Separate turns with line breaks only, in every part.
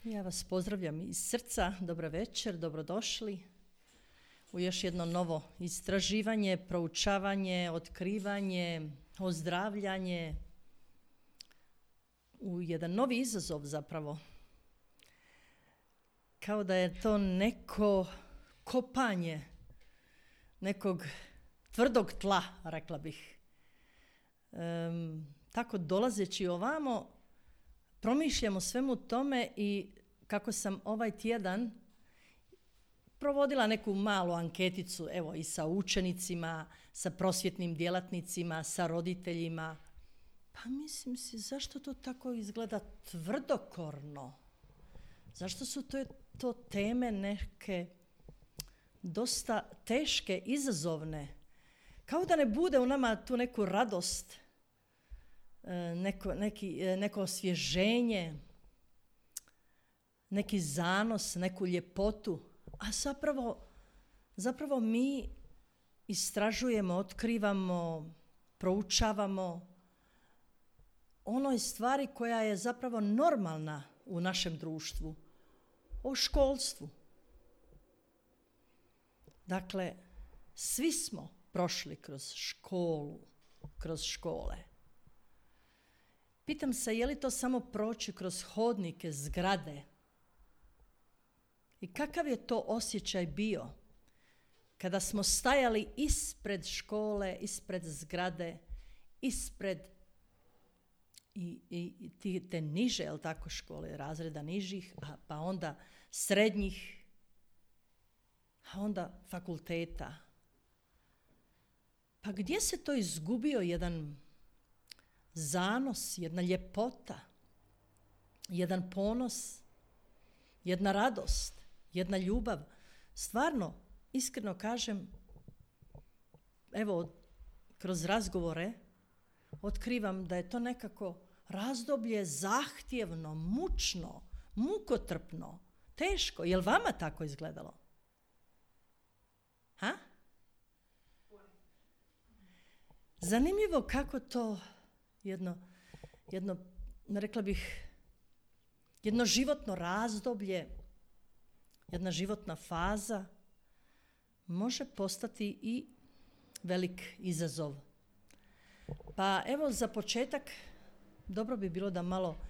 Ja vas pozdravljam iz srca, dobro večer, dobrodošli u još jedno novo istraživanje, proučavanje, otkrivanje, ozdravljanje, u jedan novi izazov zapravo. Kao da je to neko kopanje nekog tvrdog tla, rekla bih. Tako dolazeći ovamo, promišljamo svemu tome i kako sam ovaj tjedan provodila neku malu anketicu, evo i sa učenicima, sa prosvjetnim djelatnicima, sa roditeljima. Pa mislim si, zašto to tako izgleda tvrdokorno? Zašto su to teme neke dosta teške, izazovne? Kao da ne bude u nama tu neku radost, neko osvježenje, neki zanos, neku ljepotu. A zapravo mi istražujemo, otkrivamo, proučavamo onoj stvari koja je zapravo normalna u našem društvu, o školstvu. Dakle, svi smo prošli kroz školu, kroz škole. Pitam se, je li to samo proći kroz hodnike, zgrade? I kakav je to osjećaj bio kada smo stajali ispred škole, ispred zgrade, ispred i te niže, jel tako, škole, razreda nižih, pa onda srednjih, a onda fakulteta. Pa gdje se to izgubio jedan zanos, jedna ljepota, jedan ponos, jedna radost, jedna ljubav? Stvarno, iskreno kažem, evo, kroz razgovore otkrivam da je to nekako razdoblje zahtjevno, mučno, mukotrpno, teško. Je li vama tako izgledalo? Ha? Zanimljivo kako to jedno, rekla bih, jedno životno razdoblje, jedna životna faza može postati i velik izazov. Pa evo, za početak dobro bi bilo da malo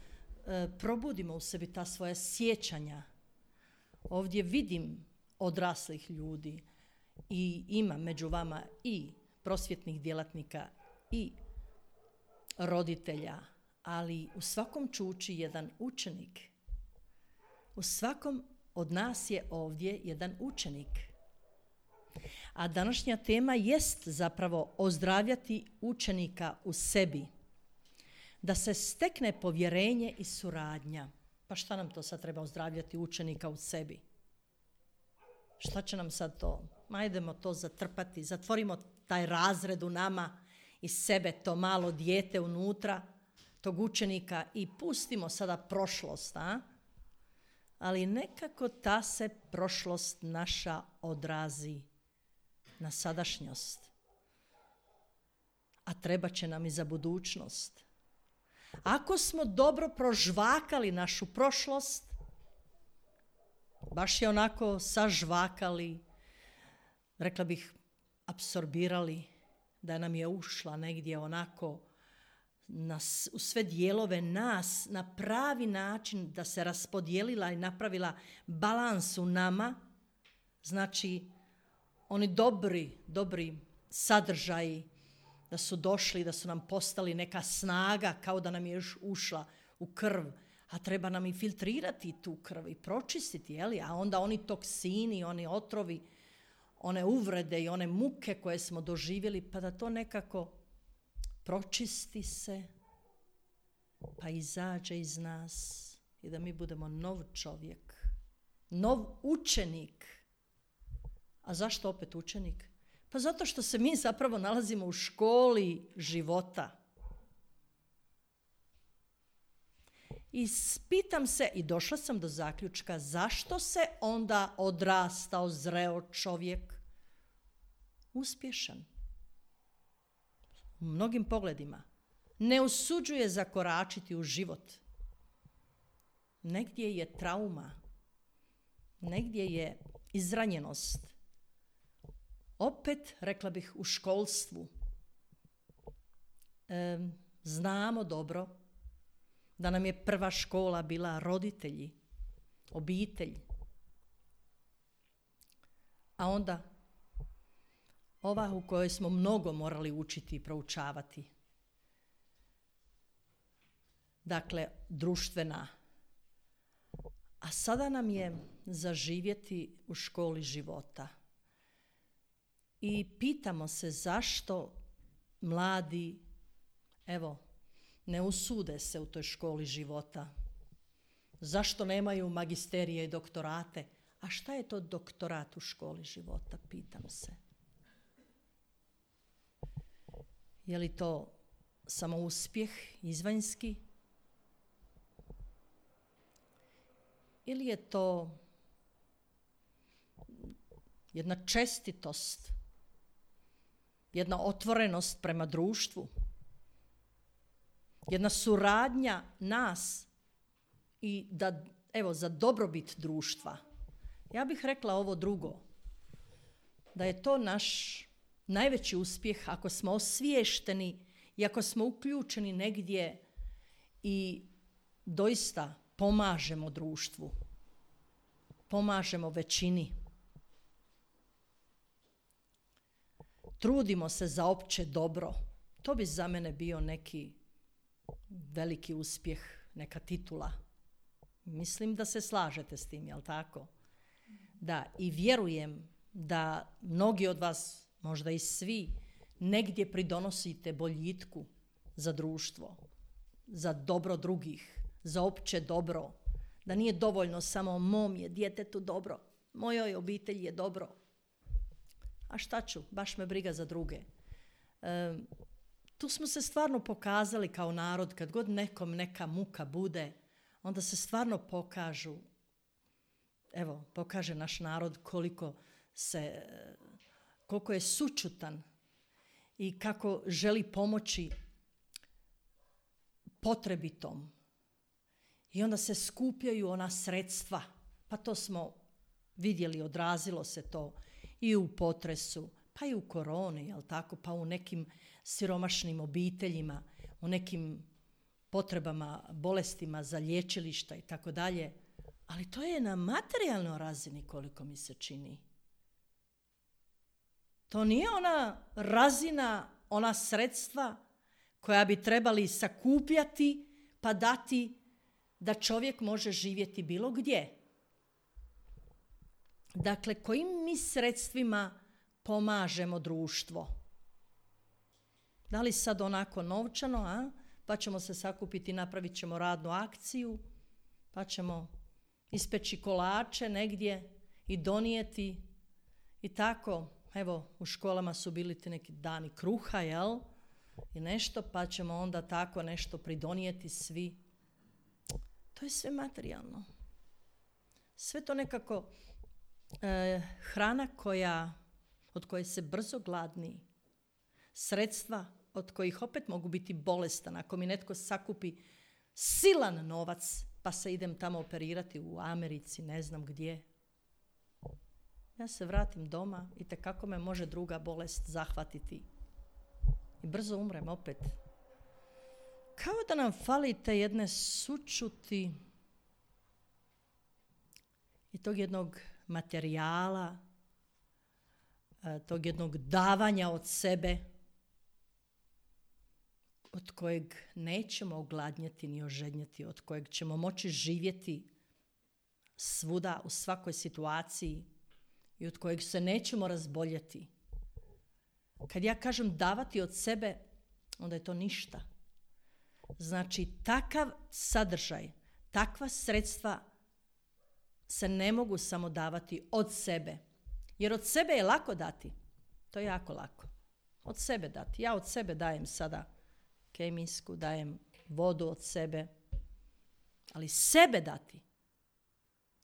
probudimo u sebi ta svoja sjećanja. Ovdje vidim odraslih ljudi i ima među vama i prosvjetnih djelatnika i roditelja, ali u svakom čuči jedan učenik. U svakom od nas je ovdje jedan učenik. A današnja tema jest zapravo ozdravljati učenika u sebi. Da se stekne povjerenje i suradnja. Pa šta nam to sad treba, ozdravljati učenika u sebi? Šta će nam sad to? Ajdemo to zatrpati, zatvorimo taj razred u nama i sebe, to malo dijete unutra, tog učenika, i pustimo sada prošlost, ali nekako ta se prošlost naša odrazi na sadašnjost. A treba će nam i za budućnost. Ako smo dobro prožvakali našu prošlost, baš je onako sažvakali, rekla bih, apsorbirali, da nam je ušla negdje onako u sve dijelove nas na pravi način, da se raspodijelila i napravila balans u nama. Znači, oni dobri sadržaji da su došli, da su nam postali neka snaga, kao da nam je još ušla u krv, a treba nam i filtrirati tu krv i pročistiti, jeli? A onda oni toksini, oni otrovi, one uvrede i one muke koje smo doživjeli, pa da to nekako pročisti se, pa izađe iz nas i da mi budemo nov čovjek, nov učenik. A zašto opet učenik? Pa zato što se mi zapravo nalazimo u školi života. I pitam se, i došla sam do zaključka, zašto se onda odrastao, zreo čovjek uspješan u mnogim pogledima ne usuđuje zakoračiti u život, negdje je trauma, negdje je izranjenost. Opet, rekla bih, u školstvu znamo dobro da nam je prva škola bila roditelji, obitelj. A onda ova u kojoj smo mnogo morali učiti i proučavati. Dakle, društvena. A sada nam je zaživjeti u školi života. I pitamo se zašto mladi, ne usude se u toj školi života. Zašto nemaju magisterije i doktorate? A šta je to doktorat u školi života, pitam se. Je li to samo uspjeh izvanjski? Ili je to jedna čestitost, jedna otvorenost prema društvu, jedna suradnja nas i da, za dobrobit društva. Ja bih rekla ovo drugo, da je to naš najveći uspjeh ako smo osviješteni i ako smo uključeni negdje i doista pomažemo društvu, pomažemo većini. Trudimo se za opće dobro. To bi za mene bio neki veliki uspjeh, neka titula. Mislim da se slažete s tim, jel tako? Da, i vjerujem da mnogi od vas, možda i svi, negdje pridonosite boljitku za društvo, za dobro drugih, za opće dobro. Da nije dovoljno samo mom je djetetu dobro, mojoj obitelji je dobro. A šta ću, baš me briga za druge. Tu smo se stvarno pokazali kao narod, kad god nekom neka muka bude, onda se stvarno pokaže naš narod koliko je sućutan i kako želi pomoći potrebitom. I onda se skupljaju ona sredstva, pa to smo vidjeli, odrazilo se to i u potresu, pa i u koroni, jel tako, pa u nekim siromašnim obiteljima, u nekim potrebama, bolestima za liječilišta i tako dalje. Ali to je na materijalnoj razini, koliko mi se čini. To nije ona razina, ona sredstva koja bi trebali sakupljati pa dati da čovjek može živjeti bilo gdje. Dakle, kojim mi sredstvima pomažemo društvo? Da li sad onako novčano, pa ćemo se sakupiti, napravit ćemo radnu akciju, pa ćemo ispeći kolače negdje i donijeti i tako. Evo, u školama su bili ti neki dani kruha, jel? I nešto, pa ćemo onda tako nešto pridonijeti svi. To je sve materijalno. Sve to nekako hrana od koje se brzo gladni, sredstva od kojih opet mogu biti bolestan. Ako mi netko sakupi silan novac, pa se idem tamo operirati u Americi, ne znam gdje. Ja se vratim doma i tekako me može druga bolest zahvatiti. I brzo umrem opet. Kao da nam fali te jedne sućuti i tog jednog materijala, tog jednog davanja od sebe, od kojeg nećemo ogladnjeti ni ožednjeti, od kojeg ćemo moći živjeti svuda, u svakoj situaciji i od kojeg se nećemo razboljeti. Kad ja kažem davati od sebe, onda je to ništa. Znači, takav sadržaj, takva sredstva se ne mogu samo davati od sebe. Jer od sebe je lako dati. To je jako lako. Od sebe dati. Ja od sebe dajem sada kemijsku, dajem vodu od sebe. Ali sebe dati,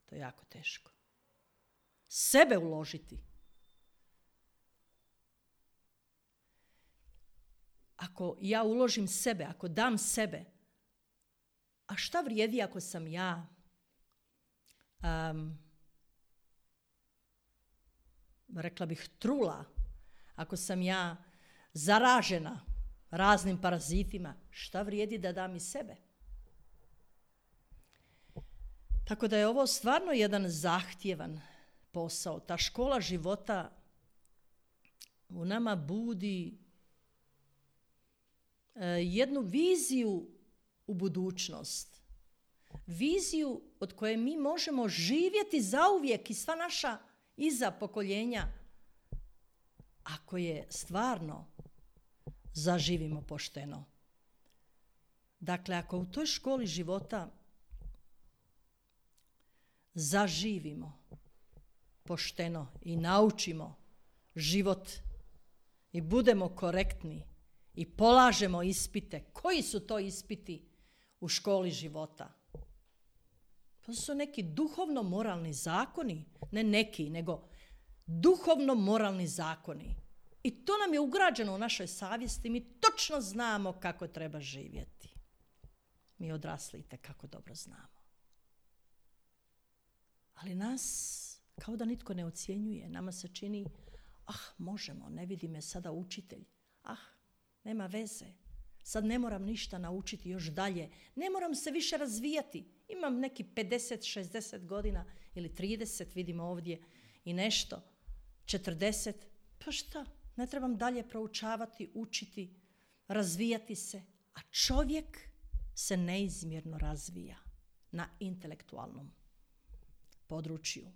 to je jako teško. Sebe uložiti. Ako ja uložim sebe, ako dam sebe, a šta vrijedi ako sam ja rekla bih, trula, ako sam ja zaražena raznim parazitima, šta vrijedi da dam i sebe? Tako da je ovo stvarno jedan zahtjevan posao. Ta škola života u nama budi jednu viziju u budućnost. Viziju od koje mi možemo živjeti zauvijek i sva naša iza pokoljenja, ako je stvarno zaživimo pošteno. Dakle, ako u toj školi života zaživimo pošteno i naučimo život i budemo korektni i polažemo ispite. Koji su to ispiti u školi života? To su neki duhovno-moralni zakoni, ne neki, nego duhovno-moralni zakoni. I to nam je ugrađeno u našoj savjesti, mi točno znamo kako treba živjeti. Mi odrasli itekako dobro znamo. Ali nas kao da nitko ne ocjenjuje. Nama se čini, možemo, ne vidi me sada učitelj. Nema veze. Sad ne moram ništa naučiti još dalje. Ne moram se više razvijati. Imam neki 50, 60 godina ili 30, vidimo ovdje i nešto. 40, pa šta? Ne trebam dalje proučavati, učiti, razvijati se. A čovjek se neizmjerno razvija na intelektualnom području,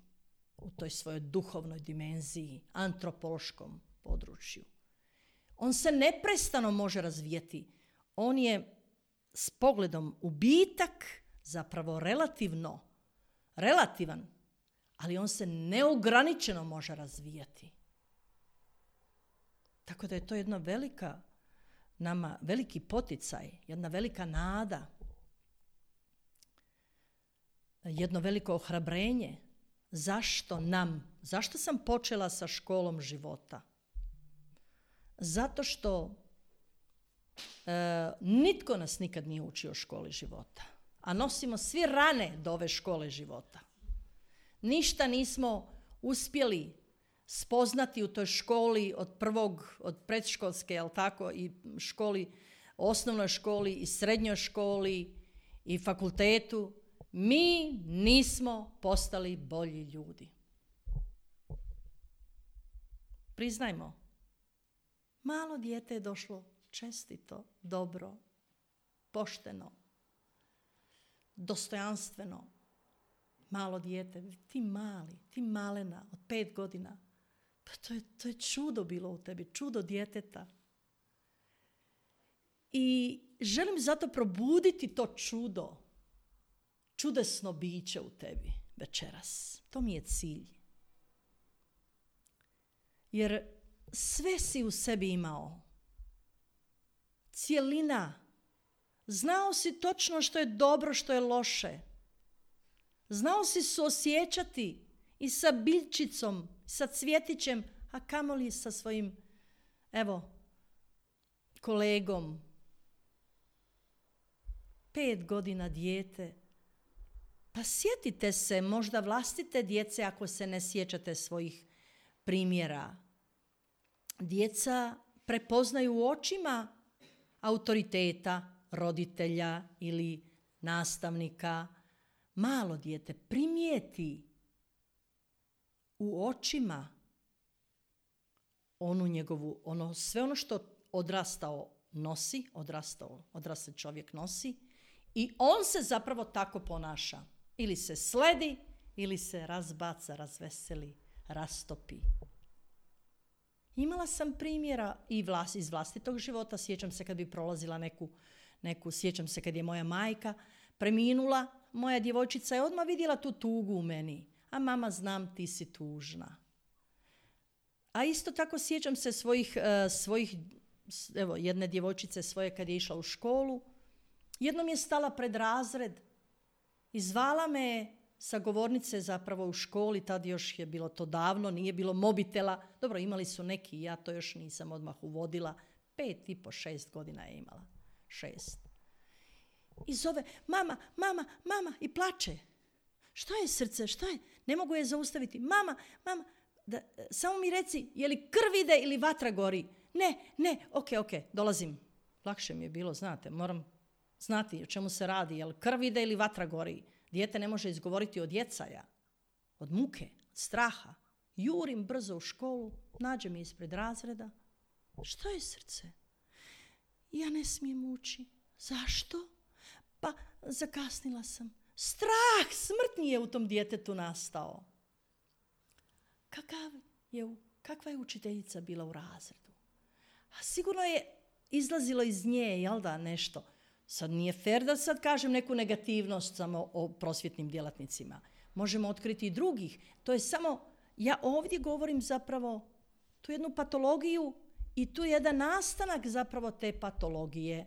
u toj svojoj duhovnoj dimenziji, antropološkom području. On se neprestano može razvijati. On je s pogledom u bitak zapravo relativan, ali on se neograničeno može razvijati. Tako da je to jedna veliki poticaj, jedna velika nada, jedno veliko ohrabrenje. Zašto sam počela sa školom života? Zato što nitko nas nikad nije učio o školi života. A nosimo svi rane do ove škole života. Ništa nismo uspjeli spoznati u toj školi od predškolske, jel tako, i školi, osnovnoj školi i srednjoj školi i fakultetu. Mi nismo postali bolji ljudi. Priznajmo, malo dijete je došlo čestito, dobro, pošteno, dostojanstveno. Malo dijete, ti malena od 5 godina. Pa to je čudo bilo u tebi, čudo djeteta. I želim zato probuditi to čudesno biće u tebi večeras. To mi je cilj. Jer sve si u sebi imao. Cjelina. Znao si točno što je dobro, što je loše. Znao si suosjećati i sa biljčicom, sa cvjetićem, a kamoli sa svojim, kolegom. 5 godina dijete. Pa sjetite se možda vlastite djece ako se ne sjećate svojih primjera. Djeca prepoznaju u očima autoriteta, roditelja ili nastavnika. Malo dijete primijeti u očima sve ono što odrasli čovjek nosi i on se zapravo tako ponaša. Ili se sledi, ili se razbaca, razveseli, rastopi. Imala sam primjera i iz vlastitog života. Sjećam se kad bi prolazila sjećam se kad je moja majka preminula, moja djevojčica je odmah vidjela tu tugu u meni. A mama, znam, ti si tužna. A isto tako sjećam se svojih jedne djevojčice svoje kad je išla u školu. Jednom je stala pred razred i zvala me sa govornice zapravo u školi, tad još je bilo to davno, nije bilo mobitela. Dobro, imali su neki, ja to još nisam odmah uvodila. 5,5, 6 godina je imala. 6. I zove, mama, i plače. Šta je srce? Šta je? Ne mogu je zaustaviti. Mama, samo mi reci, je li krv ide ili vatra gori? Ne, ok, dolazim. Lakše mi je bilo, znate, moram znati o čemu se radi, je li krv ide ili vatra gori. Dijete ne može izgovoriti od jecaja, od muke, od straha. Jurim brzo u školu, nađem je ispred razreda. Što je srce? Ja ne smijem ući. Zašto? Pa zakasnila sam. Strah smrtni je u tom djetetu nastao. Kakva je učiteljica bila u razredu? A sigurno je izlazilo iz nje, jel da, nešto. Sad nije fair da sad kažem neku negativnost samo o prosvjetnim djelatnicima. Možemo otkriti i drugih. To je samo, ja ovdje govorim zapravo tu jednu patologiju i tu jedan nastanak zapravo te patologije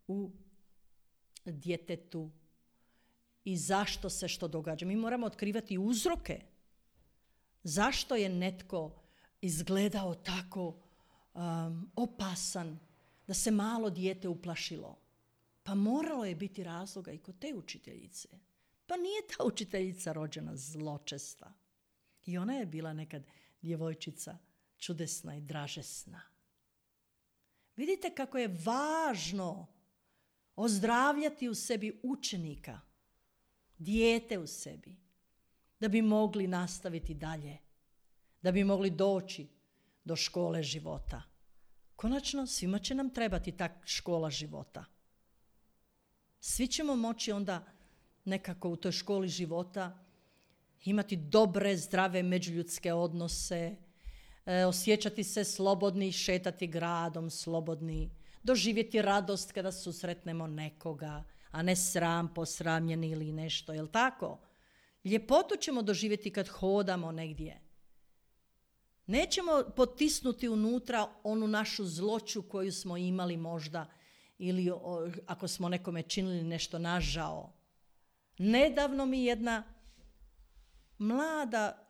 u djetetu i zašto se što događa. Mi moramo otkrivati uzroke. Zašto je netko izgledao tako opasan da se malo dijete uplašilo? Pa moralo je biti razloga i kod te učiteljice. Pa nije ta učiteljica rođena zločesta. I ona je bila nekad djevojčica čudesna i dražesna. Vidite kako je važno ozdravljati u sebi učenika, dijete u sebi, da bi mogli nastaviti dalje, da bi mogli doći do škole života. Konačno, svima će nam trebati ta škola života. Svi ćemo moći onda nekako u toj školi života imati dobre, zdrave međuljudske odnose, osjećati se slobodni, šetati gradom slobodni, doživjeti radost kada susretnemo nekoga, a ne sram, posramljeni ili nešto, jel tako? Ljepotu ćemo doživjeti kad hodamo negdje. Nećemo potisnuti unutra onu našu zloću koju smo imali možda ili ako smo nekome činili nešto nažao. Nedavno mi jedna mlada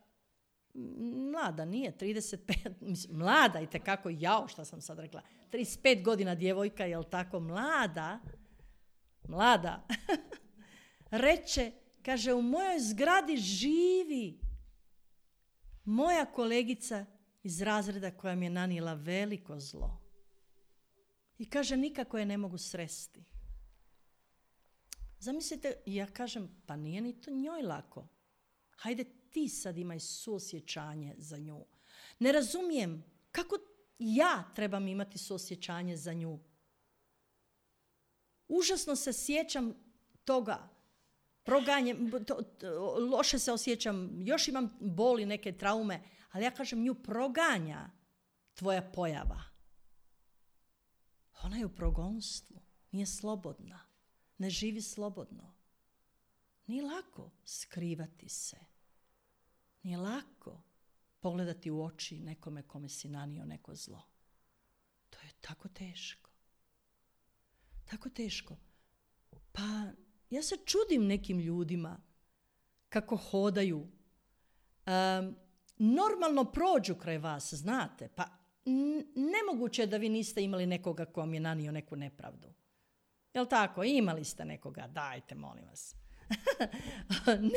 nije, 35, mlada i tekako, šta sam sad rekla, 35 godina djevojka, jel tako, mlada, reče, kaže, u mojoj zgradi živi moja kolegica iz razreda koja mi je nanijela veliko zlo. I kaže, nikako je ne mogu sresti. Zamislite, ja kažem, pa nije ni to njoj lako. Hajde ti sad imaj suosjećanje za nju. Ne razumijem kako ja trebam imati suosjećanje za nju. Užasno se sjećam toga. Loše se osjećam, još imam boli, neke traume, ali ja kažem, nju proganja tvoja pojava. Ona je u progonstvu, nije slobodna, ne živi slobodno. Nije lako skrivati se. Nije lako pogledati u oči nekome kome si nanio neko zlo. To je tako teško. Tako teško. Pa ja se čudim nekim ljudima kako hodaju. Normalno prođu kraj vas, znate. Pa nemoguće je da vi niste imali nekoga ko vam je nanio neku nepravdu. Jel tako? Imali ste nekoga. Dajte, molim vas.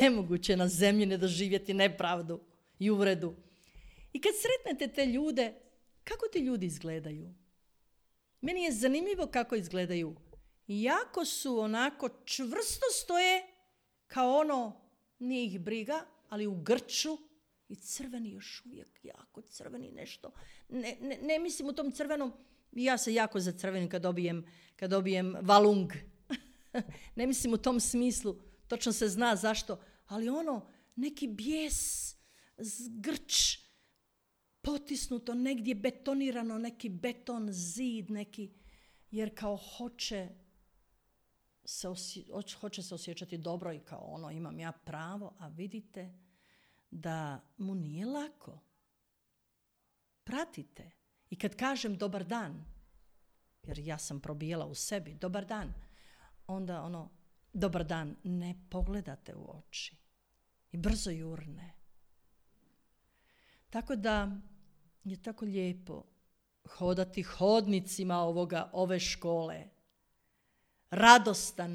Nemoguće na zemlji ne doživjeti nepravdu i uvredu. I kad sretnete te ljude, kako ti ljudi izgledaju? Meni je zanimljivo kako izgledaju. Jako su onako čvrsto stoje, kao nije ih briga, ali u grču i crveni još uvijek, jako crveni nešto. Ne mislim u tom crvenom, ja se jako zacrvenim kad dobijem valung. Ne mislim u tom smislu, točno se zna zašto, ali neki bijes, grč, potisnuto, negdje betonirano, neki beton, zid, neki, jer kao hoće se osjećati dobro i kao imam ja pravo, a vidite da mu nije lako. Pratite. I kad kažem dobar dan, jer ja sam probijela u sebi, dobar dan, onda dobar dan, ne pogledate u oči. I brzo jurne. Tako da je tako lijepo hodati hodnicima ove škole. Radostan,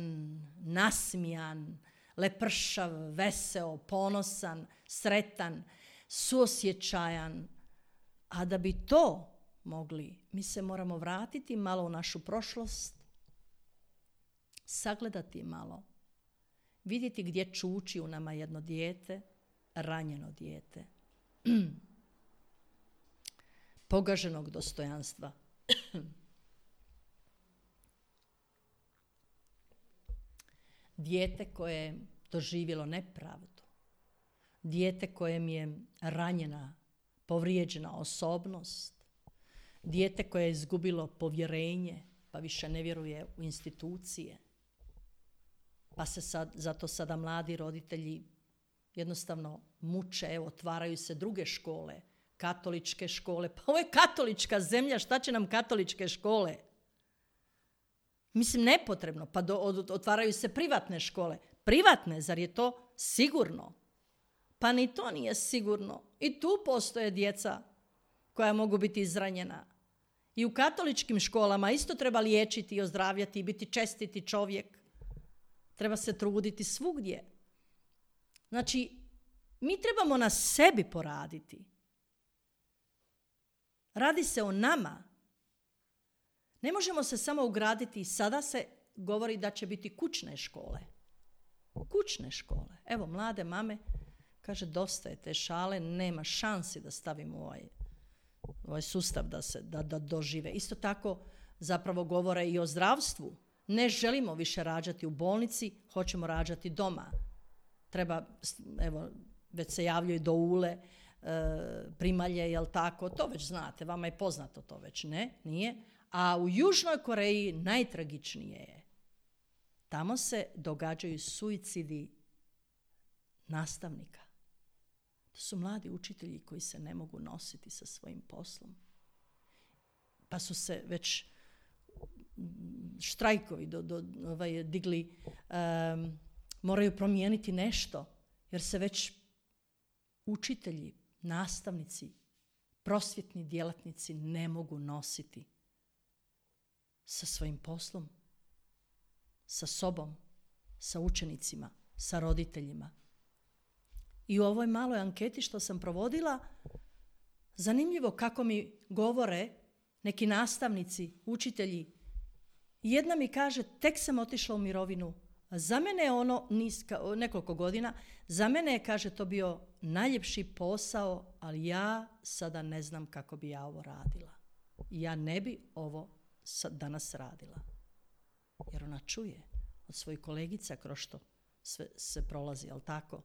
nasmijan, lepršav, veseo, ponosan, sretan, suosjećajan. A da bi to mogli, mi se moramo vratiti malo u našu prošlost, sagledati malo, vidjeti gdje čuči u nama jedno dijete, ranjeno dijete, pogaženog dostojanstva. Dijete koje je doživjelo nepravdu, dijete kojem je ranjena, povrijeđena osobnost, dijete koje je izgubilo povjerenje, pa više ne vjeruje u institucije. Pa se zato sada mladi roditelji jednostavno muče, evo, otvaraju se druge škole, katoličke škole. Pa ovo je katolička zemlja, šta će nam katoličke škole? Mislim, nepotrebno. Pa otvaraju se privatne škole. Privatne, zar je to sigurno? Pa ni to nije sigurno. I tu postoje djeca koja mogu biti izranjena. I u katoličkim školama isto treba liječiti i ozdravljati i biti čestiti čovjek. Treba se truditi svugdje. Znači, mi trebamo na sebi poraditi. Radi se o nama. Ne možemo se samo ugraditi. Sada se govori da će biti kućne škole. Kućne škole. Evo, mlade mame, kaže, dosta je te šale, nema šansi da stavimo ovaj sustav da dožive. Isto tako zapravo govore i o zdravstvu. Ne želimo više rađati u bolnici, hoćemo rađati doma. Treba, evo, već se javljaju doule, primalje, jel tako? To već znate, vama je poznato to već, ne? Nije? A u Južnoj Koreji najtragičnije je. Tamo se događaju suicidi nastavnika. To su mladi učitelji koji se ne mogu nositi sa svojim poslom. Pa su se već štrajkovi digli, moraju promijeniti nešto, jer se već učitelji, nastavnici, prosvjetni djelatnici ne mogu nositi sa svojim poslom, sa sobom, sa učenicima, sa roditeljima. I u ovoj maloj anketi što sam provodila, zanimljivo kako mi govore neki nastavnici, učitelji. Jedna mi kaže, tek sam otišla u mirovinu. Za mene je ono nekoliko godina, za mene je, kaže, to bio najljepši posao, ali ja sada ne znam kako bi ja ovo radila. Ja ne bi ovo danas radila. Jer ona čuje od svojih kolegica kroz što sve se prolazi, jel tako?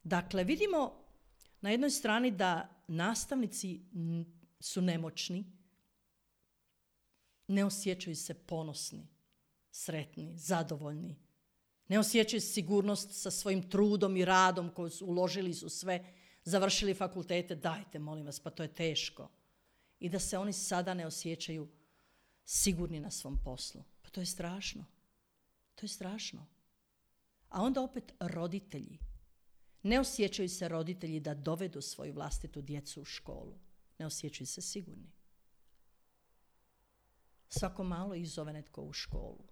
Dakle, vidimo na jednoj strani da nastavnici su nemoćni, ne osjećaju se ponosni, sretni, zadovoljni. Ne osjećaju sigurnost sa svojim trudom i radom koji su uložili su sve, završili fakultete, dajte, molim vas, pa to je teško. I da se oni sada ne osjećaju sigurni na svom poslu. Pa to je strašno. To je strašno. A onda opet roditelji. Ne osjećaju se roditelji da dovedu svoju vlastitu djecu u školu. Ne osjećaju se sigurni. Svako malo ih zove netko u školu.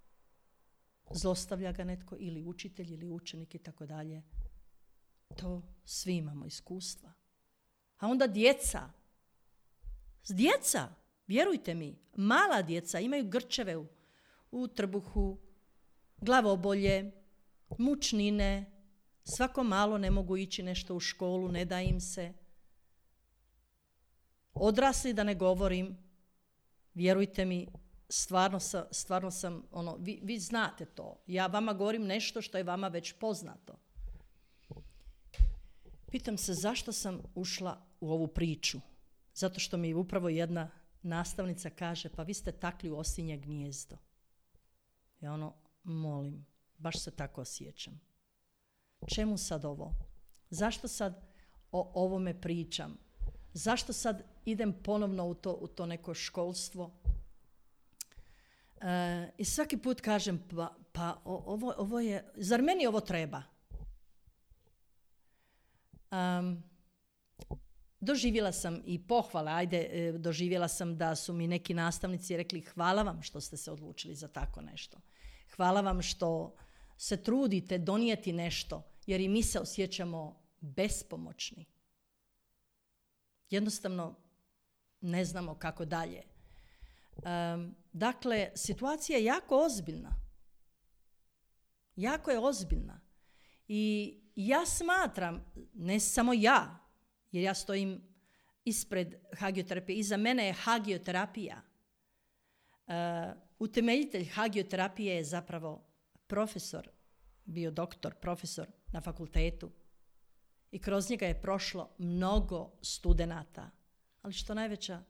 Zlostavlja ga netko, ili učitelj, ili učenik i tako dalje. To svi imamo iskustva. A onda djeca, vjerujte mi, mala djeca imaju grčeve u trbuhu, glavobolje, mučnine, svako malo ne mogu ići nešto u školu, ne da im se. Odrasli, da ne govorim, vjerujte mi, stvarno sam, vi znate to. Ja vama govorim nešto što je vama već poznato. Pitam se zašto sam ušla u ovu priču. Zato što mi upravo jedna nastavnica kaže, pa vi ste takli u osinje gnijezdo. Ja molim, baš se tako osjećam. Čemu sad ovo? Zašto sad o ovome pričam? Zašto sad idem ponovno u to neko školstvo? I svaki put kažem, pa ovo je, zar meni ovo treba? Doživjela sam i pohvale, doživjela sam da su mi neki nastavnici rekli, hvala vam što ste se odlučili za tako nešto. Hvala vam što se trudite donijeti nešto, jer i mi se osjećamo bespomoćni. Jednostavno ne znamo kako dalje. Dakle, situacija je jako ozbiljna. Jako je ozbiljna. I ja smatram, ne samo ja, jer ja stojim ispred hagioterapije, iza mene je hagioterapija. Utemeljitelj hagioterapije je zapravo profesor, bio doktor, profesor na fakultetu. I kroz njega je prošlo mnogo studenata. Ali što najveća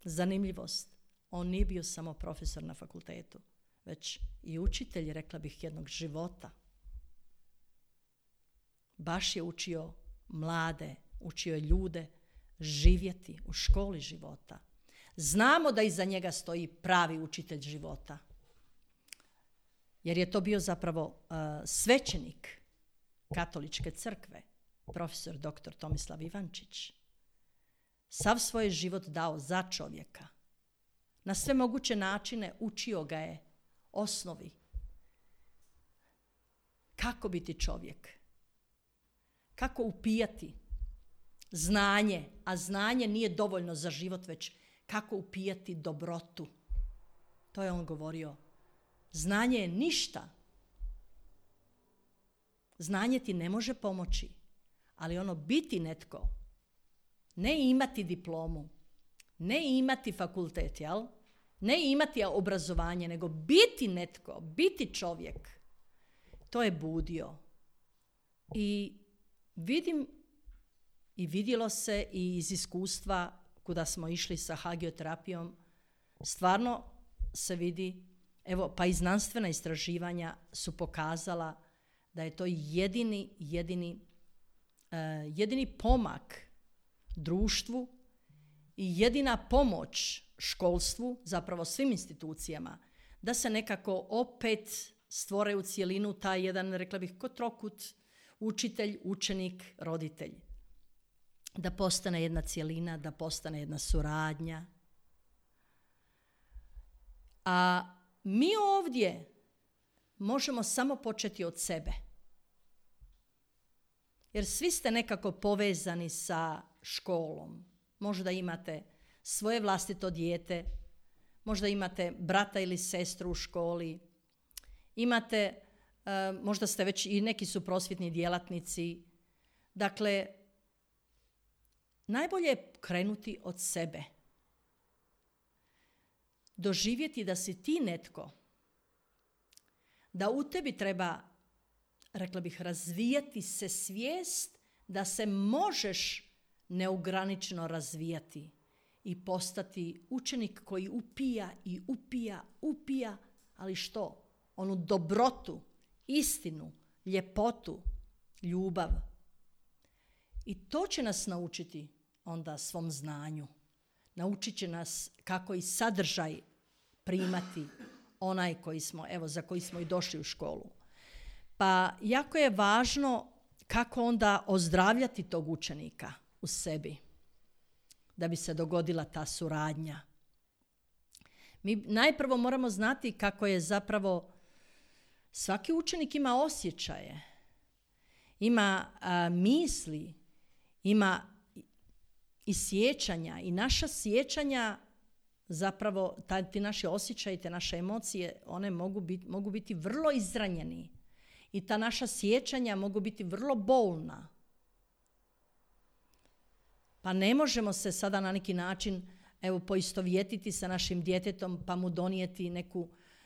zanimljivost, on nije bio samo profesor na fakultetu, već i učitelj, rekla bih, jednog života. Baš je učio mlade, učio je ljude živjeti u školi života. Znamo da iza njega stoji pravi učitelj života. Jer je to bio zapravo svećenik Katoličke crkve, profesor dr. Tomislav Ivančić. Sav svoj život dao za čovjeka. Na sve moguće načine učio ga je osnovi. Kako biti čovjek? Kako upijati znanje, a znanje nije dovoljno za život, već kako upijati dobrotu. To je on govorio. Znanje je ništa. Znanje ti ne može pomoći, ali ono biti netko, ne imati diplomu, ne imati fakultet, jel? Ne imati obrazovanje, nego biti netko, biti čovjek. To je budio. I vidim i vidjelo se i iz iskustva kuda smo išli sa hagioterapijom, stvarno se vidi, evo, pa i znanstvena istraživanja su pokazala da je to jedini pomak društvu i jedina pomoć školstvu, zapravo svim institucijama, da se nekako opet stvore u cjelinu taj jedan, rekla bih, ko trokut, učitelj, učenik, roditelj. Da postane jedna cjelina, da postane jedna suradnja. A mi ovdje možemo samo početi od sebe. Jer svi ste nekako povezani sa školom. Možda imate svoje vlastito dijete, možda imate brata ili sestru u školi, imate, možda ste već i neki su prosvjetni djelatnici. Dakle, najbolje je krenuti od sebe. Doživjeti da si ti netko, da u tebi treba, rekla bih, razvijati se svijest da se možeš neograničeno razvijati i postati učenik koji upija, ali što? Onu dobrotu, istinu, ljepotu, ljubav. I to će nas naučiti onda svom znanju. Naučit će nas kako i sadržaj primati onaj za koji smo i došli u školu. Pa jako je važno kako onda ozdravljati tog učenika u sebi, da bi se dogodila ta suradnja. Mi najprvo moramo znati kako je zapravo svaki učenik ima osjećaje, ima misli, ima i sjećanja, i naša sjećanja, zapravo ti naši osjećaji, te naše emocije, one mogu biti vrlo izranjeni i ta naša sjećanja mogu biti vrlo bolna. Pa ne možemo se sada na neki način poistovjetiti sa našim djetetom pa mu donijeti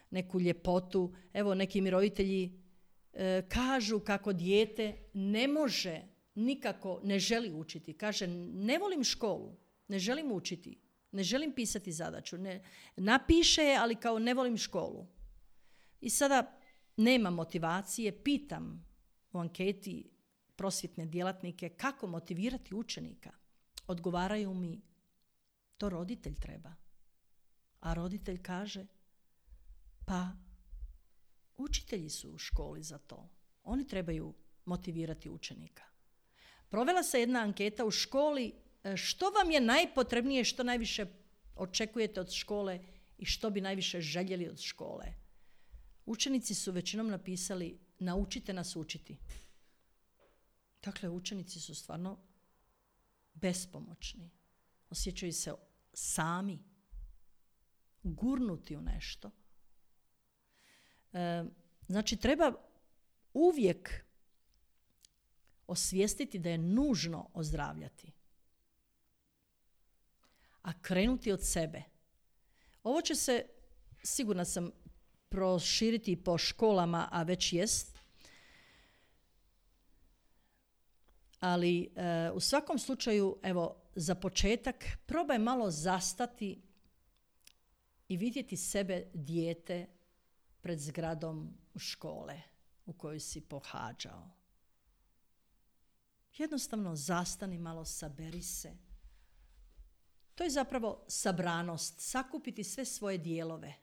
neku ljepotu. Evo, neki mi roditelji kažu kako dijete ne može nikako, ne želi učiti. Kaže, ne volim školu, ne želim učiti, ne želim pisati zadaću. Napiše je, ali kao ne volim školu. I sada nema motivacije, pitam u anketi prosvjetne djelatnike kako motivirati učenika. Odgovaraju mi, to roditelj treba. A roditelj kaže, pa učitelji su u školi za to. Oni trebaju motivirati učenika. Provela se jedna anketa u školi, što vam je najpotrebnije, što najviše očekujete od škole i što bi najviše željeli od škole. Učenici su većinom napisali naučite nas učiti. Dakle, učenici su stvarno bespomoćni. Osjećaju se sami, gurnuti u nešto. Znači, treba uvijek osvijestiti da je nužno ozdravljati. A krenuti od sebe. Ovo će se, sigurna sam, proširiti po školama, a već jest. Ali u svakom slučaju, evo, za početak, probaj malo zastati i vidjeti sebe dijete pred zgradom škole u kojoj si pohađao. Jednostavno zastani malo, saberi se. To je zapravo sabranost, sakupiti sve svoje dijelove.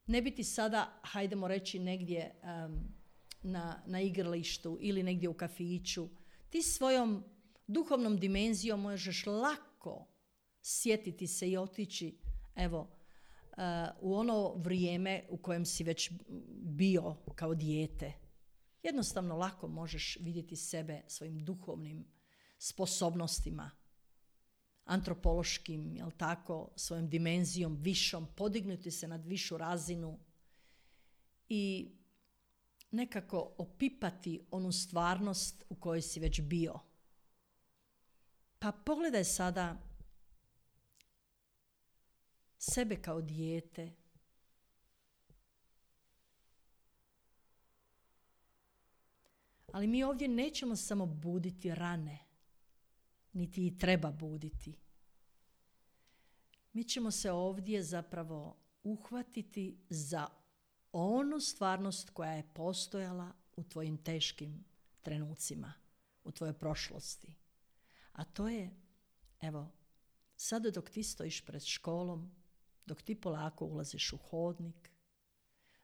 Ne biti sada, hajdemo reći, negdje na igralištu ili negdje u kafiću. Ti svojom duhovnom dimenzijom možeš lako sjetiti se i otići, evo, u ono vrijeme u kojem si već bio kao dijete. Jednostavno lako možeš vidjeti sebe svojim duhovnim sposobnostima, antropološkim, jel tako, svojom dimenzijom višom, podignuti se nad višu razinu i nekako opipati onu stvarnost u kojoj si već bio. Pa pogledaj sada sebe kao dijete. Ali mi ovdje nećemo samo buditi rane, niti i treba buditi. Mi ćemo se ovdje zapravo uhvatiti za onu stvarnost koja je postojala u tvojim teškim trenucima, u tvojoj prošlosti. A to je, evo, sada dok ti stojiš pred školom, dok ti polako ulaziš u hodnik,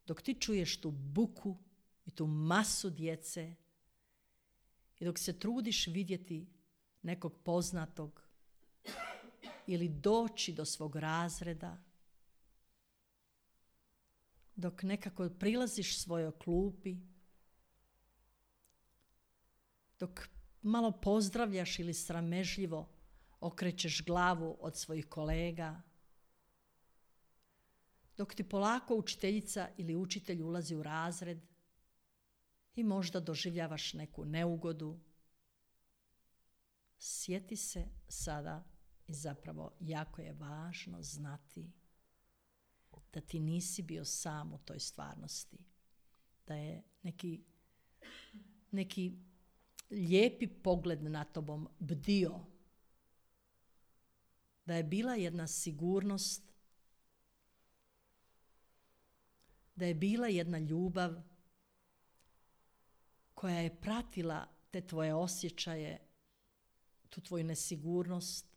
dok ti čuješ tu buku i tu masu djece i dok se trudiš vidjeti nekog poznatog ili doći do svog razreda, dok nekako prilaziš svojoj klupi, dok malo pozdravljaš ili sramežljivo okrećeš glavu od svojih kolega, dok ti polako učiteljica ili učitelj ulazi u razred i možda doživljavaš neku neugodu, sjeti se sada i zapravo jako je važno znati da ti nisi bio sam u toj stvarnosti, da je neki lijepi pogled na tobom bdio, da je bila jedna sigurnost, da je bila jedna ljubav koja je pratila te tvoje osjećaje, tu tvoju nesigurnost,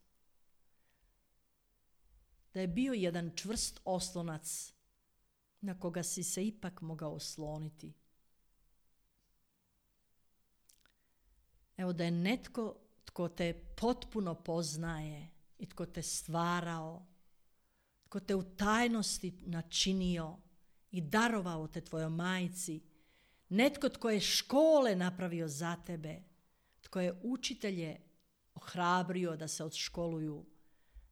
da je bio jedan čvrst oslonac na koga si se ipak mogao osloniti. Evo, da je netko tko te potpuno poznaje i tko te stvarao, tko te u tajnosti načinio i darovao te tvojoj majci, netko tko je škole napravio za tebe, tko je učitelje ohrabrio da se odškoluju,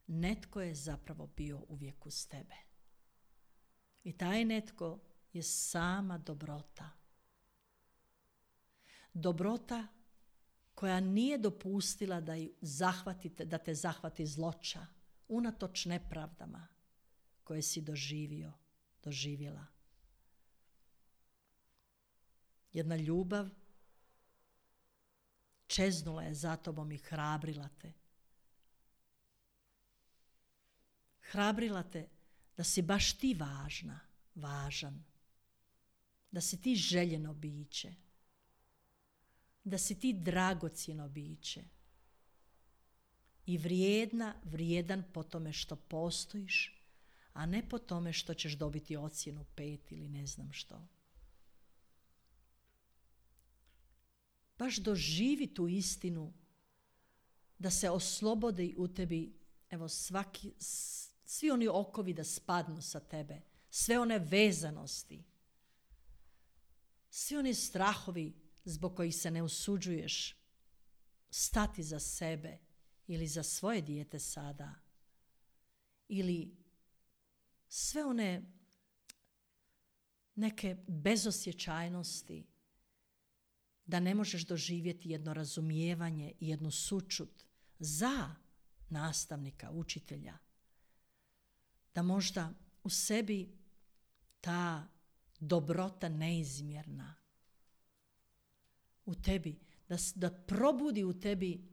netko je zapravo bio uvijek uz tebe. I taj netko je sama dobrota. Dobrota koja nije dopustila da te zahvati zloća, unatoč nepravdama koje si doživjela. Jedna ljubav čeznula je za tobom i hrabrila te. Hrabrila te da si baš ti važan, da si ti željeno biće, da si ti dragocjeno biće i vrijedan po tome što postojiš, a ne po tome što ćeš dobiti ocjenu 5 ili ne znam što. Baš doživi tu istinu da se oslobodi u tebi, evo, svi oni okovi da spadnu sa tebe, sve one vezanosti. Svi oni strahovi zbog kojih se ne usuđuješ stati za sebe ili za svoje dijete sada, ili sve one neke bezosjećajnosti, da ne možeš doživjeti jedno razumijevanje i jednu sućut za nastavnika, učitelja, da možda u sebi ta dobrota neizmjerna u tebi, da probudi u tebi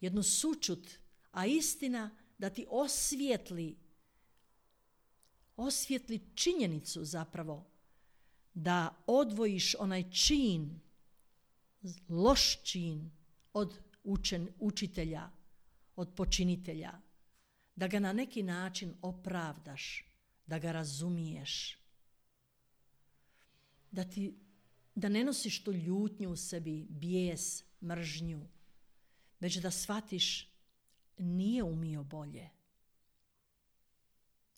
jednu sućut, a istina da ti osvijetli činjenicu zapravo da odvojiš onaj čin, loš čin od učitelja, od počinitelja, da ga na neki način opravdaš, da ga razumiješ, da ne nosiš tu ljutnju u sebi, bijes, mržnju, već da shvatiš nije umio bolje,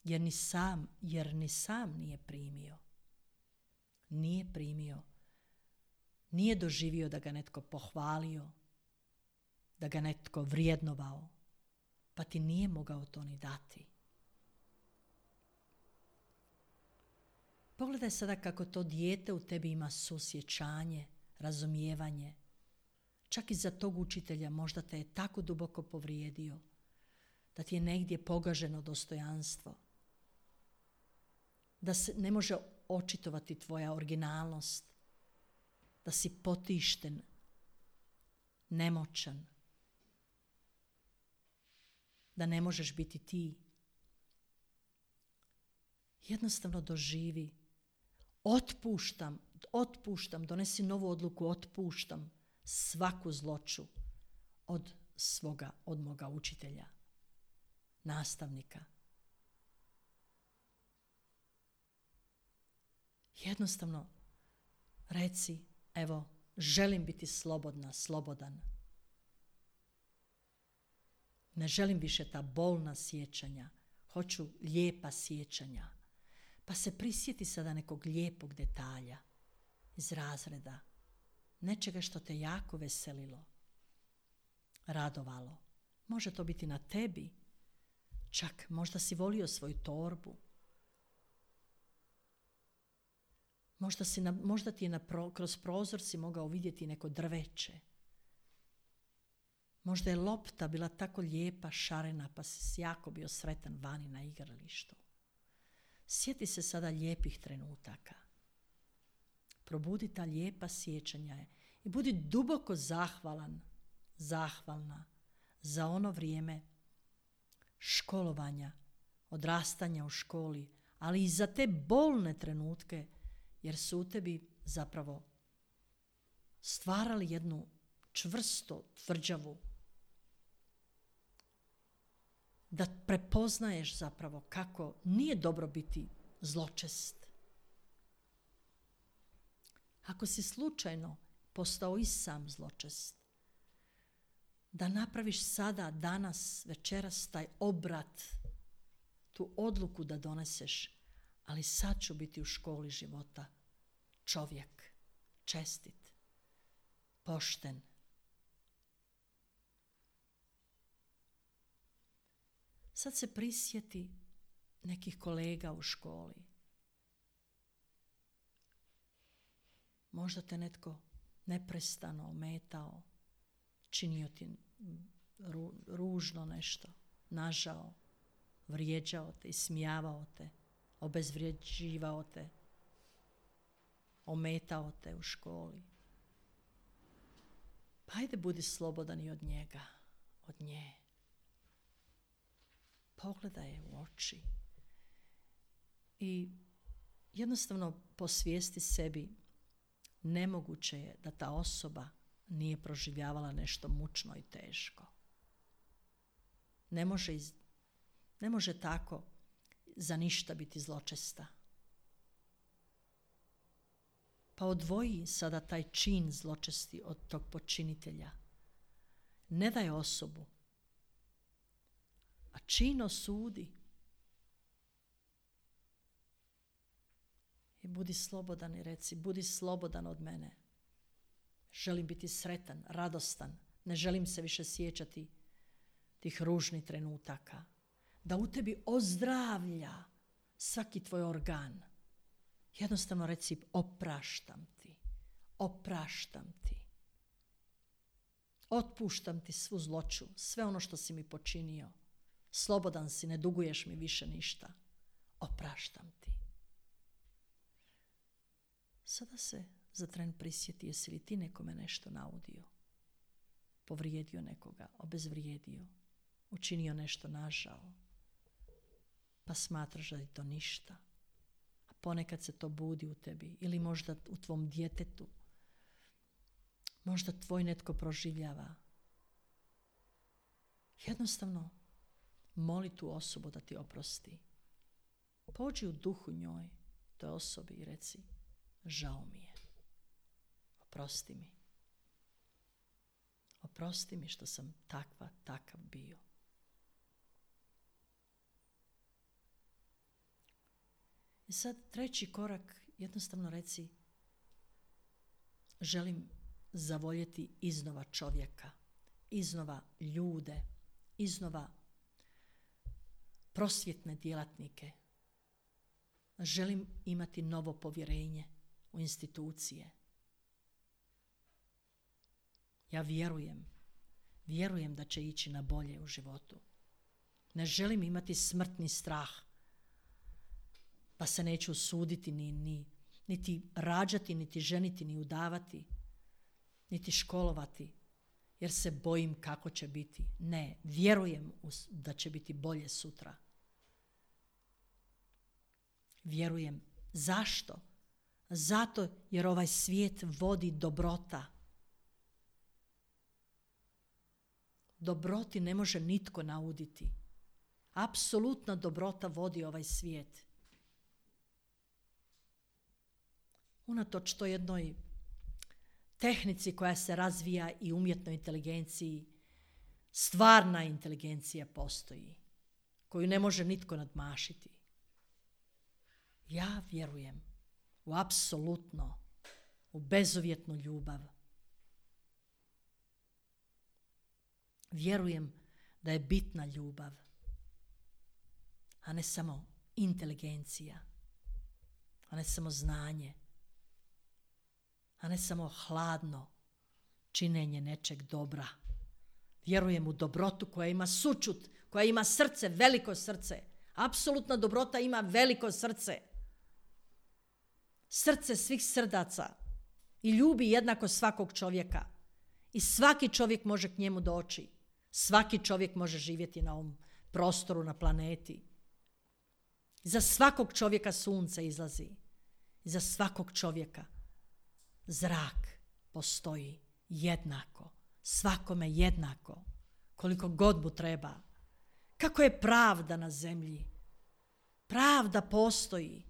jer ni sam nije primio. Nije primio. Nije doživio da ga netko pohvalio, da ga netko vrijednovao, pa ti nije mogao to ni dati. Pogledaj sada kako to dijete u tebi ima susjećanje, razumijevanje. Čak i za tog učitelja možda te je tako duboko povrijedio da ti je negdje pogaženo dostojanstvo, da se ne može očitovati tvoja originalnost, da si potišten, nemoćan, da ne možeš biti ti. Jednostavno doživi, otpuštam, donesi novu odluku, otpuštam svaku zloću od moga učitelja, nastavnika. Jednostavno reci, evo, želim biti slobodan. Ne želim više ta bolna sjećanja, hoću lijepa sjećanja. Pa se prisjeti sada nekog lijepog detalja iz razreda, nečega što te jako veselilo, radovalo. Može to biti na tebi, čak možda si volio svoju torbu. Možda ti je kroz prozor si mogao vidjeti neko drveće. Možda je lopta bila tako lijepa, šarena, pa si jako bio sretan vani na igralištu. Sjeti se sada lijepih trenutaka. Probudi ta lijepa sjećanja i budi duboko zahvalna za ono vrijeme školovanja, odrastanja u školi, ali i za te bolne trenutke, jer su u tebi zapravo stvarali jednu čvrsto, tvrđavu, da prepoznaješ zapravo kako nije dobro biti zločest. Ako si slučajno postao i sam zločest, da napraviš sada, danas, večeras taj obrat, tu odluku da doneseš, ali sad ću biti u školi života čovjek, čestit, pošten. Sad se prisjeti nekih kolega u školi. Možda te netko neprestano ometao, činio ti ružno nešto, nažao, vrijeđao te, ismijavao te, obezvrijeđivao te, ometao te u školi. Pa ajde budi slobodan i od njega, od nje. Pogledaj je u oči i jednostavno posvijesti sebi, nemoguće je da ta osoba nije proživljavala nešto mučno i teško. Ne može tako za ništa biti zločesta. Pa odvoji sada taj čin zločesti od tog počinitelja. Ne daj osobu, a čin osudi. I budi slobodan i reci, budi slobodan od mene. Želim biti sretan, radostan. Ne želim se više sjećati tih ružnih trenutaka. Da u tebi ozdravlja svaki tvoj organ. Jednostavno reci, opraštam ti. Opraštam ti. Otpuštam ti svu zloću, sve ono što si mi počinio. Slobodan si, ne duguješ mi više ništa. Opraštam ti. Sada se za tren prisjeti, jesi li ti nekome nešto naudio? Povrijedio nekoga, obezvrijedio, učinio nešto nažao, pa smatraš da je to ništa. A ponekad se to budi u tebi ili možda u tvom djetetu. Možda tvoj netko proživljava. Jednostavno, moli tu osobu da ti oprosti. Pođi u duhu njoj, toj osobi i reci, žao mi je. Oprosti mi. Oprosti mi što sam takav bio. I sad treći korak, jednostavno reci, želim zavoljeti iznova čovjeka, iznova ljude, iznova prosvjetne djelatnike. Želim imati novo povjerenje u institucije. Ja vjerujem da će ići na bolje u životu. Ne želim imati smrtni strah, pa se neću usuditi niti rađati, niti ženiti, ni udavati, niti školovati, jer se bojim kako će biti. Ne, vjerujem da će biti bolje sutra. Vjerujem. Zašto? Zato jer ovaj svijet vodi dobrota. Dobroti ne može nitko nauditi. Apsolutna dobrota vodi ovaj svijet. Unatoč toj jednoj tehnici koja se razvija i umjetnoj inteligenciji, stvarna inteligencija postoji, koju ne može nitko nadmašiti. Ja vjerujem u apsolutno, u bezuvjetnu ljubav. Vjerujem da je bitna ljubav, a ne samo inteligencija, a ne samo znanje, a ne samo hladno činjenje nečeg dobra. Vjerujem u dobrotu koja ima sućut, koja ima srce, veliko srce. Apsolutna dobrota ima veliko srce. Srce svih srdaca i ljubi jednako svakog čovjeka. I svaki čovjek može k njemu doći. Svaki čovjek može živjeti na ovom prostoru, na planeti. Za svakog čovjeka sunce izlazi. Za svakog čovjeka zrak postoji jednako. Svakome jednako. Koliko god mu treba. Kako je pravda na zemlji? Pravda postoji.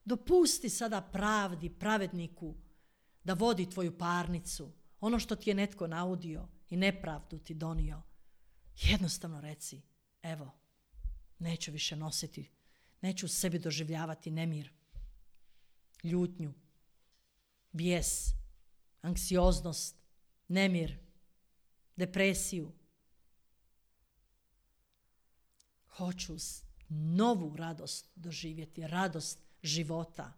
Dopusti sada pravdi, pravedniku, da vodi tvoju parnicu. Ono što ti je netko naudio i nepravdu ti donio. Jednostavno reci, evo, neću više nositi, neću u sebi doživljavati nemir, ljutnju, bijes, anksioznost, nemir, depresiju. Hoću novu radost doživjeti, radost života.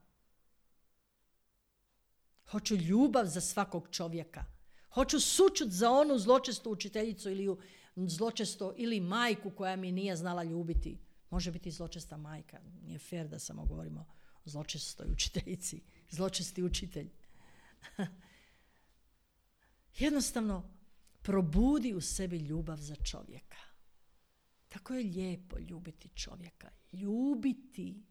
Hoću ljubav za svakog čovjeka. Hoću sućut za onu zločestu učiteljicu ili majku koja mi nije znala ljubiti. Može biti zločesta majka. Nije fair da samo govorimo o zločestoj učiteljici. Zločesti učitelj. Jednostavno probudi u sebi ljubav za čovjeka. Tako je lijepo ljubiti čovjeka. Ljubiti.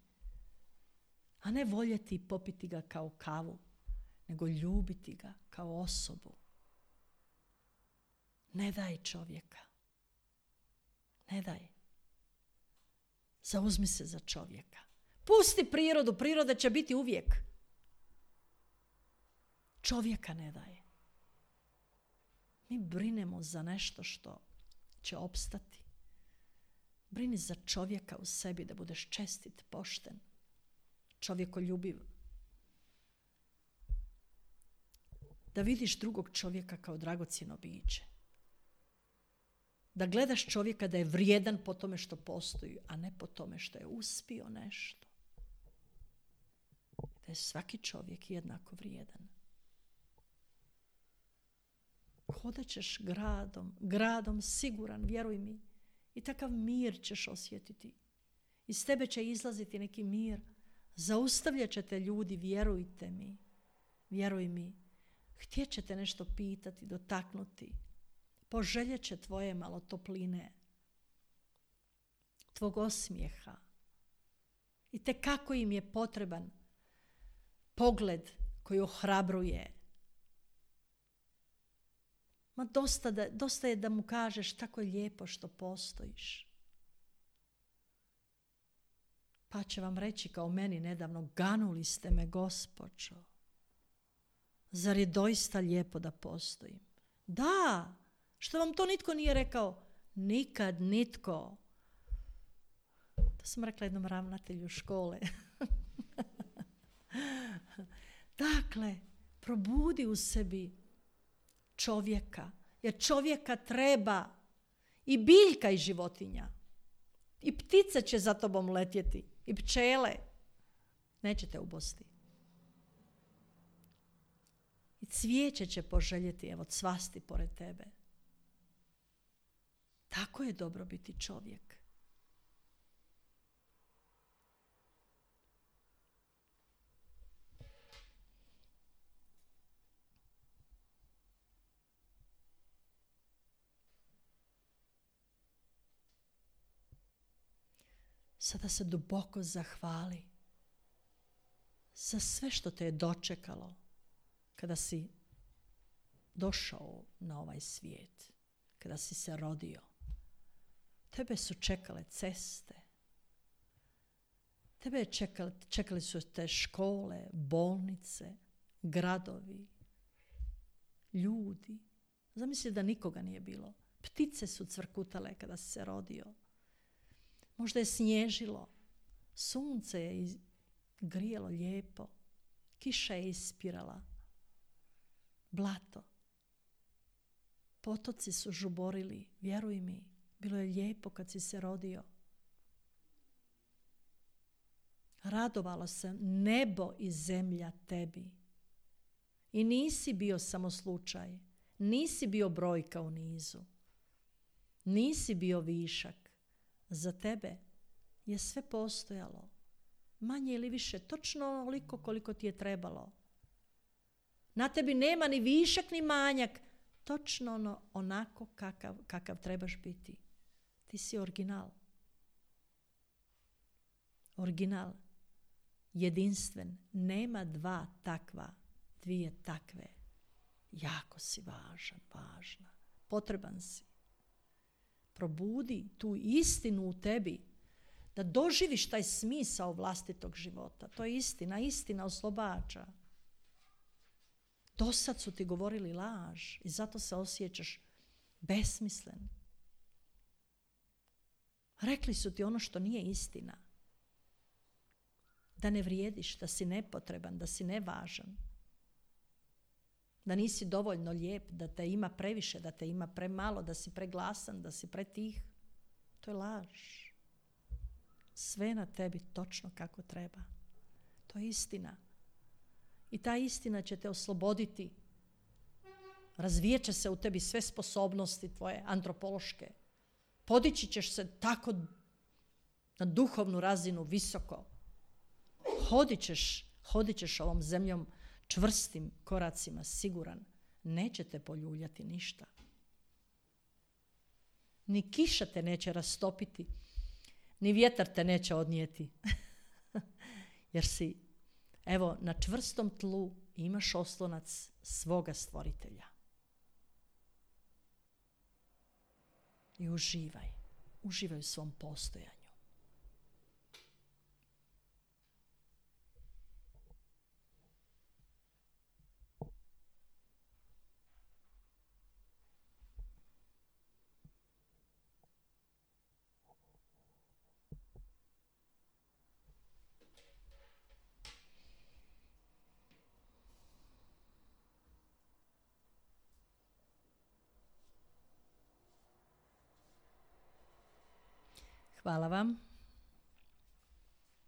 A ne voljeti i popiti ga kao kavu, nego ljubiti ga kao osobu. Ne daj čovjeka. Ne daj. Zauzmi se za čovjeka. Pusti prirodu, priroda će biti uvijek. Čovjeka ne daj. Mi brinemo za nešto što će opstati. Brini za čovjeka u sebi da budeš čestit, pošten. čovjekoljubiv. Da vidiš drugog čovjeka kao dragocjeno biće. Da gledaš čovjeka da je vrijedan po tome što postoji, a ne po tome što je uspio nešto. Da je svaki čovjek jednako vrijedan. Hodat ćeš gradom siguran, vjeruj mi. I takav mir ćeš osjetiti. Iz tebe će izlaziti neki mir. Zaustavljat ćete ljudi, vjerujte mi. Vjeruj mi. Htjet ćete nešto pitati, dotaknuti. Poželjet će tvoje malo topline. Tvog osmijeha. I te kako im je potreban pogled koji ohrabruje. Ma dosta je da mu kažeš tako je lijepo što postojiš. Pa će vam reći kao meni nedavno, ganuli ste me gospođo. Zar je doista lijepo da postojim? Da, što vam to nitko nije rekao? Nikad nitko. To sam rekla jednom ravnatelju škole. Dakle, probudi u sebi čovjeka. Jer čovjeka treba i biljka i životinja. I ptice će za tobom letjeti. I pčele. Nećete ubosti. I cvijeće će poželjeti, evo, cvasti pored tebe. Tako je dobro biti čovjek. Sada se duboko zahvali za sve što te je dočekalo kada si došao na ovaj svijet, kada si se rodio. Tebe su čekale ceste, čekali su te škole, bolnice, gradovi, ljudi. Zamisli da nikoga nije bilo. Ptice su cvrkutale kada si se rodio. Možda je snježilo, sunce je grijalo lijepo, kiša je ispirala, blato. Potoci su žuborili, vjeruj mi, bilo je lijepo kad si se rodio. Radovalo se nebo i zemlja tebi. I nisi bio samo slučaj, nisi bio brojka u nizu, nisi bio višak. Za tebe je sve postojalo, manje ili više, točno onoliko koliko ti je trebalo. Na tebi nema ni višak ni manjak, točno onako kakav trebaš biti. Ti si original. Original, jedinstven, nema dvije takve. Jako si važna, potreban si. Probudi tu istinu u tebi, da doživiš taj smisao vlastitog života. To je istina oslobađa. Dosad su ti govorili laž i zato se osjećaš besmislen. Rekli su ti ono što nije istina. Da ne vrijediš, da si nepotreban, da si nevažan. Da nisi dovoljno lijep, da te ima previše, da te ima premalo, da si preglasan, da si pretih. To je laž. Sve na tebi točno kako treba. To je istina. I ta istina će te osloboditi. Razvijat će se u tebi sve sposobnosti tvoje antropološke. Podići ćeš se tako na duhovnu razinu visoko. Hodit ćeš ovom zemljom čvrstim koracima, siguran. Neće te poljuljati ništa. Ni kiša te neće rastopiti, ni vjetar te neće odnijeti. Jer si, evo, na čvrstom tlu imaš oslonac svoga stvoritelja. I uživaj u svom postojanju. Hvala vam.